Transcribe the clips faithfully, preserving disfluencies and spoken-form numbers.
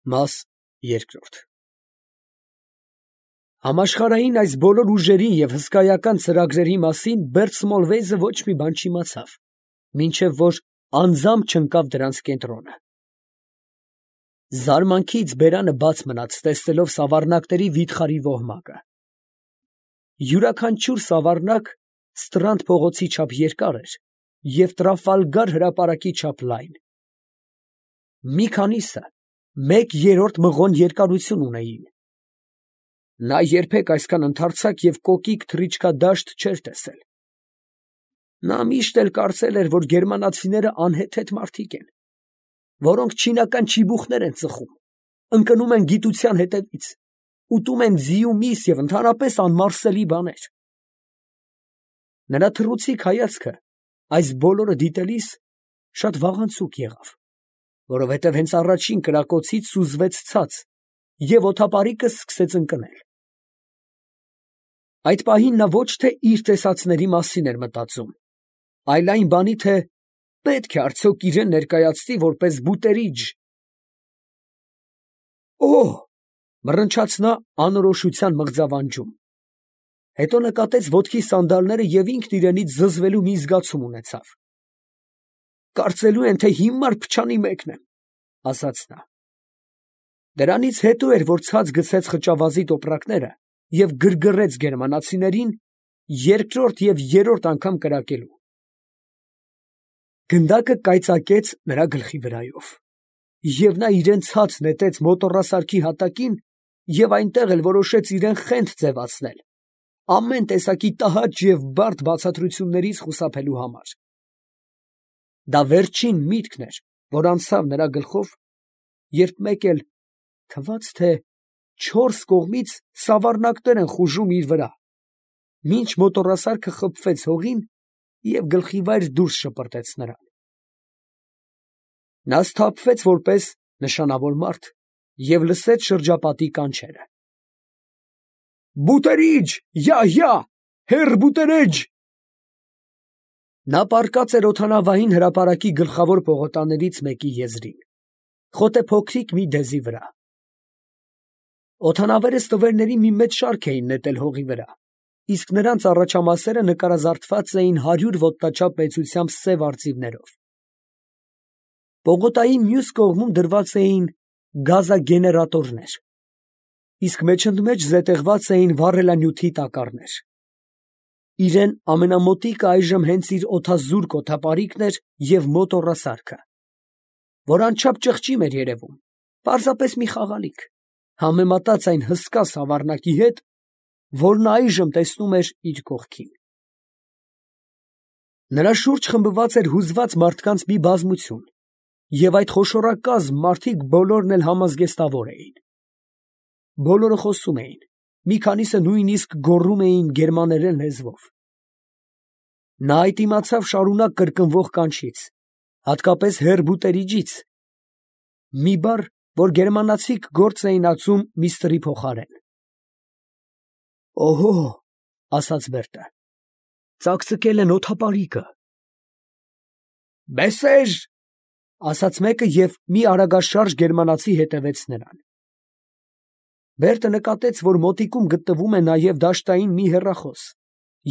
Մաս երկրորդ Համաշխարհային այս բոլոր ուժերի և հսկայական ծրագրերի մասին Բերտ Սմոլվեյզը ոչ մի բան չիմացավ, մինչև որ անձամբ չընկավ դրանց կենտրոնը։ Զարմանքից բերանը բաց մնաց, տեսնելով սավառնակների վիթխարի ոհմակը։ Յուրաքանչյուր սավառնակ Ստրանդ փողոցի չափ երկար էր և Տրաֆալգար հրապարակի չափ լայն։ Մի քանիսը մեկ երրորդ մղոն երկարություն ունեին։ Նա երբեք այսքան ընդարձակ և կոկիկ թռիչքադաշտ չէր տեսել։ Նա միշտ էլ կարծել էր, որ գերմանացիները անհեթեթ մարդիկ են, որոնք չինական չիբուխներ են ծխում, ընկնում են գիտության հետևից, ուտում են ձի ու միս և ընդհանրապես անմարսելի բաներ։ Նրա թռուցիկ հայացքը այս բոլորը դիտելիս շատ վաղանցուկ եղավ, որովհետև հենց առաջին կրակոցից սուզվեց ցած և օդապարիկը սկսեց ընկնել։ Այդ պահին նա ոչ թե իր տեսածների մասին էր մտածում, այլ այն բանի, թե պետք է արդյոք իրան ներկայացնի որպես բուտերիջ։ «Օհ», մռնչաց նա անորոշության մղձավանջում, հետո նկատեց ոտքի սանդալները և ինքն իրենից զզվելու մի զգացում ունեցավ։ «Կարծելու են, թե հիմար փչանի մեկն եմ», ասաց նա։ Դրանից հետո էր, որ ցած գցեց խճավազի տոպրակները և գրգռեց գերմանացիներին երկրորդ և երրորդ անգամ կրակելու։ Գնդակը կայծակեց նրա գլխի վրայով, և նա իրան ցած նետեց մոտոռասարքի հատակին և այնտեղ էլ որոշեց իրան խենթ ձևացնել, ամեն տեսակի տհաճ և բարդ բացատրություններից խուսափելու համար։ Դա վերջին միտքն էր, որ անցավ նրա գլխով, երբ մեկ էլ թվաց, թե չորս կողմից սավառնակներ են խուժում իր վրա, մինչ մոտոռասարքը խփվեց հողին և գլխիվայր դուրս շպրտեց նրան։ Նա սթափվեց որպես նշանավոր մարդ և լսեց շրջապատի կանչերը. «Բուտերիջ, յա, յա, հեռ բուտերեջ»։ Նա պառկած էր օդանավային հրապարակի գլխավոր պողոտաներից մեկի եզրին, խոտե փոքրիկ մի դեզի վրա։ Օդանավերը ստվերների մի մեծ շարք էին նետել հողի վրա, իսկ նրանց առաջամասերը նկարազարդված էին հարյուր ոտնաչափ մեծությամբ սև արծիվներով։ Պողոտայի մյուս կողմում դրված էին գազագեներատորներ, իսկ մեջընդմեջ զետեղված էին վառելանյութի տակառներ։ Իրան ամենամոտիկը այժմ հենց իր օդազուրկ օդապարիկն էր և մոտոռասարքը, որ անչափ ճղճիմ էր երևում, պարզապես մի խաղալիք, համեմատած այն հսկա սավառնակի հետ, որ նա այժմ տեսնում էր իր կողքին։ Նրա շուրջ խմբված էր հուզված մարդկանց մի բազմություն, և այդ խոշորակազմ մարդիկ բոլորն էլ համազգեստավոր էին։ Բոլորը խոսում էին, մի քանիսը նույնիսկ գոռում էին գերմաներեն լեզվով։ Նա այդ իմացավ շարունակ կրկնվող կանչից, հատկապես հեռ բուտերիջից, մի բառ, որ գերմանացիք գործ էին ածում միստրի փոխարեն։ «Օհո», ասաց Բերտը, «ծակծկել են օդապարիկը»։ «Բեսեր», ասաց մեկը և մի արագաշարժ գերմանացի հետևեց նրան։ Բերտը նկատեց, որ մոտիկում գտնվում է նաև դաշտային մի հեռախոս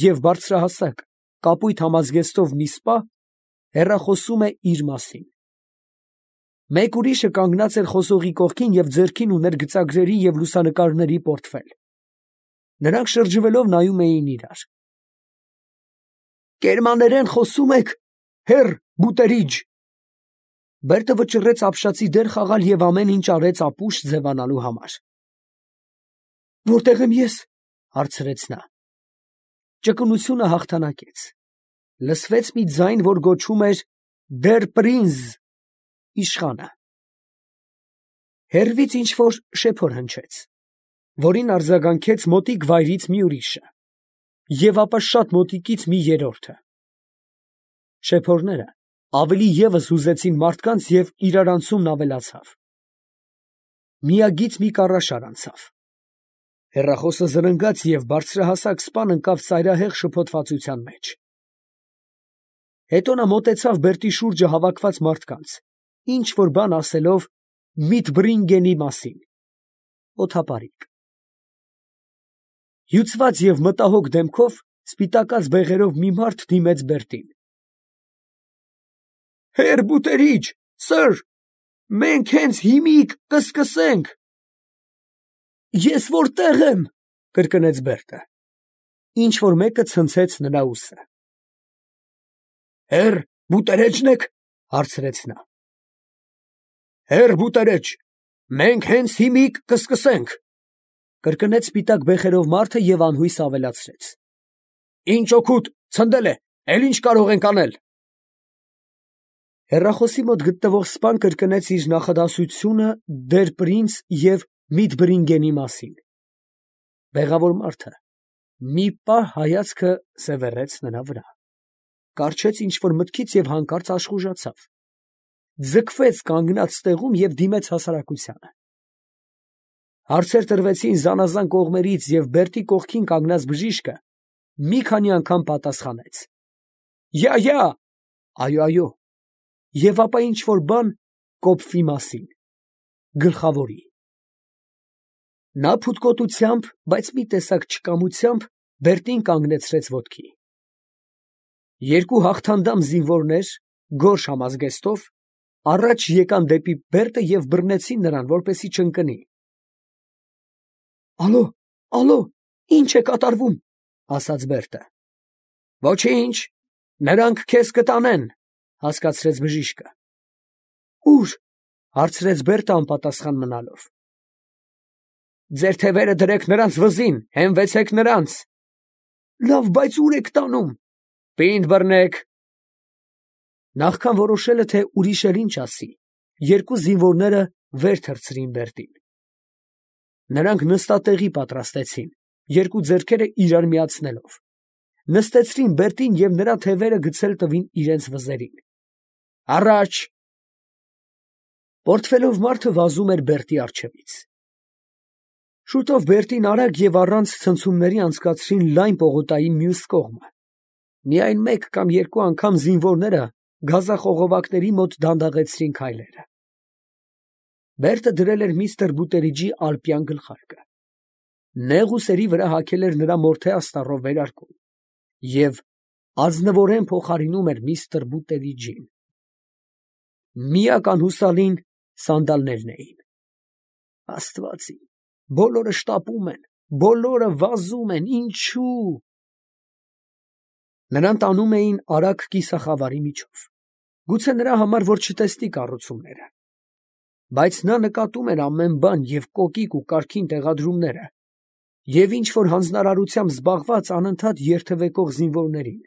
և բարձրահասակ, կապույտ համազգեստով մի սպա հեռախոսում է իր մասին։ Մեկ ուրիշը կանգնած էր խոսողի կողքին և ձեռքին ուներ գծագրերի և լուսանկարների պորտֆել։ Նրանք շրջվելով նայում էին իրար։ «Գերմաներեն խոսում եք, հեռ բուտերիջ»։ Բերտը վճռեց ապշածի դեր խաղալ և ամեն ինչ արեց ապուշ ձևանալու համար։ «Որտե՞ղ եմ ես», հարցրեց նա։ Ճկունությունը հաղթանակեց։ Լսվեց մի ձայն, որ գոչում էր «դեր պրինզ», իշխանը։ Հեռվից ինչ֊որ շեփոր հնչեց, որին արձագանքեց մոտիկ վայրից մի ուրիշը, և ապա շատ մոտիկից մի երրորդը։ Շեփորները ավելի ևս հուզեցին մարդկանց, և իրարանցումն ավելացավ։ Միագիծ մի կառաշար անցավ։ Հեռախոսը զրնգաց, և բարձրահասակ սպան ընկավ ծայրահեղ շփոթվածության մեջ։ Հետո նա մոտեցավ Բերտի շուրջը հավաքված մարդկանց, ինչ֊որ բան ասելով Միտբրինգենի մասին։ Օթապարիկ։ Հյուծված և մտահոգ դեմքով սպիտակած բեղերով մի մարդ դիմեց Բերտին։ Հեր բուտերիչ, սըր, մենք հենց հիմիկ կսկսենք։ Ես որտեղ եմ, կրկնեց Բերտը։ Ինչ որ մեկը ցնցեց նրա ուսը։ Հեր բուտերեչն եք, հարցրեց նա։ Հեր բուտերեչ, մենք հենց հիմիկ կսկսենք, կրկնեց սպիտակ բեխերով մարդը և անհույս ավելացրեց. Ինչ օգուտ, ցնդել է, էլ ինչ կարող ենք անել։ Հեռախոսի մոտ գտնվող սպան կրկնեց իր նախադասությունը դեր Պրինց և Միտբրինգենի մասին։ Բեղավոր մարդը մի պահ հայացքը սևեռեց նրա վրա, կառչեց ինչ-որ մտքից և հանկարծ աշխուժացավ, ձգվեց կանգնած տեղում և դիմեց հասարակությանը։ Հարցեր տրվեցին զանազան կողմերից և Բերտի կողքին կանգնած բժիշկը մի քանի անգամ պատասխանեց. Յա, յա, այո, այո, և ապա ինչ-որ բան կոպվի մասին, գլխավորի։ Նա փութկոտությամբ, բայց մի տեսակ չկամությամբ Բերտին կանգնեցրեց ոտքի։ Երկու հաղթանդամ զինվորներ, գորշ համազգեստով, առաջ եկան դեպի Բերտը և բռնեցին նրան, որպեսզի չընկնի։ Ալո, ալո, ի՞նչ է կատարվում, ասաց Բերտը։ Ոչինչ, նրանք քեզ կտանեն, հասկացրեց բժիշկը։ Ո՞ւր, հարցրեց Բերտը անպատասխան մնալով։ Ձեր թևերը դրեք նրանց վզին, հենվեցեք նրանց։ Լավ, բայց ո՞ւր եք տանում։ Պինդ բռնեք։ Նախքան որոշելը, թե ուրիշ էլ ինչ ասի, երկու զինվորները վեր թռցրին Բերտին։ Նրանք նստատեղի պատրաստեցին, երկու ձեռքերը իրար միացնելով, նստեցրին Բերտին և նրա թևերը գցել տվին իրենց վզերին։ Առաջ։ Պորտֆելով մարդը վազում էր Բերտի առջևից։ Շուտով Բերտին արագ և առանց ցնցումների անցկացրին լայն պողոտայի մյուս կողմը։ Միայն մեկ կամ երկու անգամ զինվորները գազախողովակների մոտ դանդաղեցրին քայլերը։ Բերտը դրել էր միստր Բուտերիջի ալպյան գլխարկը։ Նեղ ուսերի վրա հագել էր նրա մորթե աստառով վերարկուն և ազնվորեն փոխարինում էր միստր Բուտերիջին։ Միակ անհուսալին սանդալներն էին։ Աստված իմ, բոլորը շտապում են, բոլորը վազում են, ինչու՞։ Նրան տանում էին արագ կիսախավարի միջով, գուցե նրա համար, որ չտեսնի կառուցումները։ Բայց նա նկատում էր ամեն բան և կոկիկ ու կարգին տեղադրումները, և ինչ-որ հանձնարարությամբ զբաղված անընդհատ երթևեկող զինվորներին,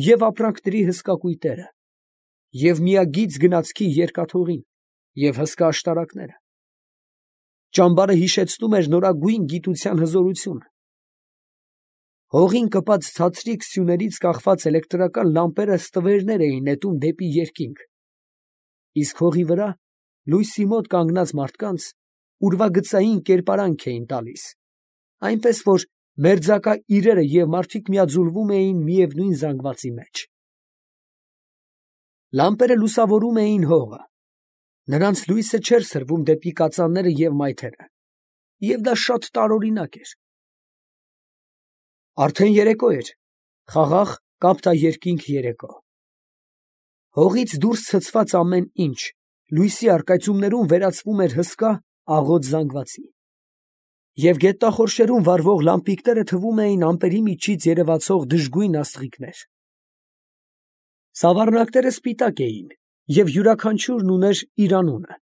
և ապրանքների հսկա կույտերը, և միագիծ գնացքի երկաթուղին, և հսկա աշտարակները։ Ճամբարը հիշեցնում էր նորագույն գիտության հզորությունը։ Հողին կպած ցածրիկ սյուներից կախված էլեկտրական լամպերը ստվերներ էին նետում դեպի երկինք, իսկ հողի վրա, լույսի մոտ կանգնած մարդկանց ուրվագծային կերպարանք էին տալիս, այնպես որ մերձակա իրերը և մարդիկ միաձուլվում էին միևնույն զանգվածի մեջ։ Լամպերը լուսավորում էին հողը, նրանց լույսը չէր սրվում դեպի կածանները և մայթերը, և դա շատ տարօրինակ էր։ Արդեն երեկո էր, խաղաղ կապտաերկինք երեկո։ Հողից դուրս ցցված ամեն ինչ լույսի առկայծումներում վերածվում էր հսկա, աղոտ զանգվածի, և գետնախորշերում վառվող լամպիկները թվում էին ամպերի միջից երևացող դժգույն աստղիկներ։ Սավառնակները սպիտակ էին, և յուրաքանչյուրն ուներ իր անունը,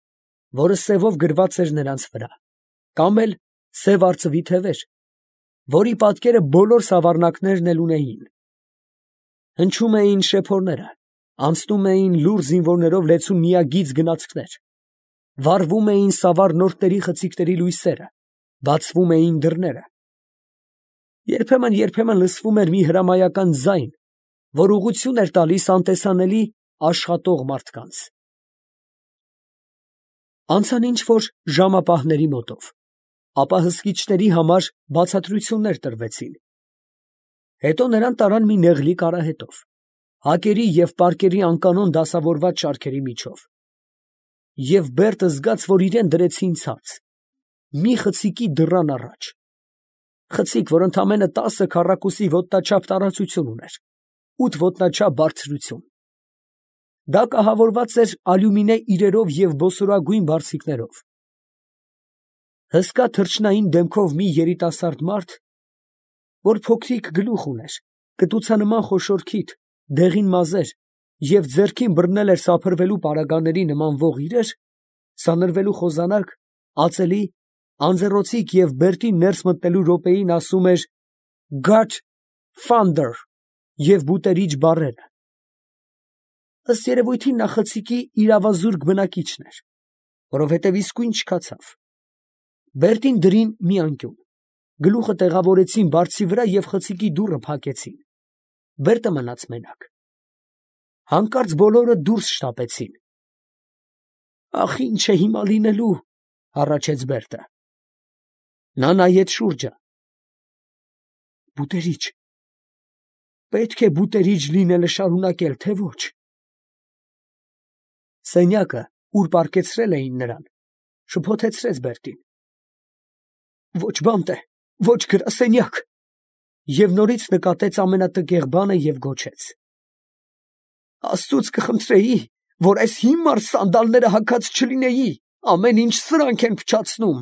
որը սևով գրված էր նրանց վրա, կամ էլ սև արծվի թևեր, որի պատկերը բոլոր սավառնակներն էլ ունեին։ Հնչում էին շեփորները, անցնում էին լուռ զինվորներով լեցուն միագիծ գնացքներ, վառվում էին սավառնորդների խցիկների լույսերը, բացվում էին դռները։ Երբեմն֊երբեմն լսվում էր մի հրամայական ձայն, որ ուղղություն էր տալիս անտեսանելի աշխատող մարդկանց։ Անցան ինչ-որ ժամապահների մոտով, ապա հսկիչների համար բացատրություններ տրվեցին։ Հետո նրան տարան մի նեղլիկ արահետով, հակերի և պարկերի անկանոն դասավորված շարքերի միջով։ և Բերտը զգաց, որ իրան դրեցին ցած, մի խցիկի դռան առաջ, խցիկ, որ ընդամենը տասը քառակուսի ոտնաչափ տարածություն ուներ, ութ ոտնաչափ բարձրություն. դա կահավորված էր ալյումինե իրերով և ոսորագույն բարձիկներով. հսկա թռչնային դեմքով մի երիտասարդ մարդ, որ փոքրիկ գլուխ ուներ, կտուցանման խոշոր քիթ, դեղին մազեր և ձեռքին բռնել էր սափրվելու պարագաների նմանվող իրեր, սանրվելու խոզանակ, ածելի, անձեռոցիկ և Բերտին ներս մտնելու րոպեին ասում էր «Գոդ ֆանդեր» և բուտերիչ բառերը. ըստ երևույթին նա խցիկի իրավազուրկ բնակիչն էր, որովհետև իսկույն չքացավ. Բերտին դրին մի անկյուն, գլուխը տեղավորեցին բարձի վրա և խցիկի դուռը փակեցին. Բերտը մնաց մենակ. հանկարծ բոլորը դուրս շտապեցին։ «Ա՜խ, ի՞նչ է հիմա լինելու», ֊ հառաչեց Բերտը. նա նայեց շուրջը. «Բուտերիչ, պետք է բուտերիչ լինելը շարունակել, թե ոչ»։ Սենյակը, ուր պառկեցրել էին նրան, շփոթեցրեց Բերտին. «Ոչ բանտ է, ոչ գրասենյակ», և նորից նկատեց ամենատկեղ բանը և գոչեց. «Աստծուց կխնդրեի, որ այս հիմար սանդալները հագած չլինեի, ամեն ինչ սրանք են փչացնում»։